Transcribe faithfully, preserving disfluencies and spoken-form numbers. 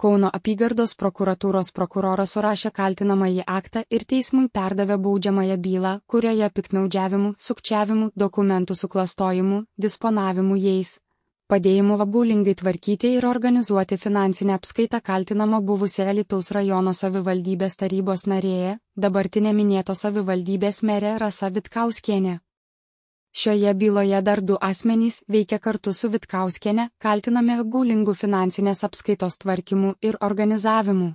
Kauno apygardos prokuratūros prokuroras surašė kaltinamąjį aktą ir teismui perdavė baudžiamąją bylą, kurioje piktnaudžiavimu, sukčiavimu, dokumentų suklastojimu, disponavimu jais, padėjimu apgaulingai tvarkyti ir organizuoti finansinę apskaitą kaltinama buvusi Alytaus rajono savivaldybės tarybos narė, dabartinė minėtos savivaldybės merė Rasa Vitkauskienė. Šioje byloje dar du asmenys veikia kartu su Vitkauskiene, kaltinami apgaulingų finansinės apskaitos tvarkymu ir organizavimu.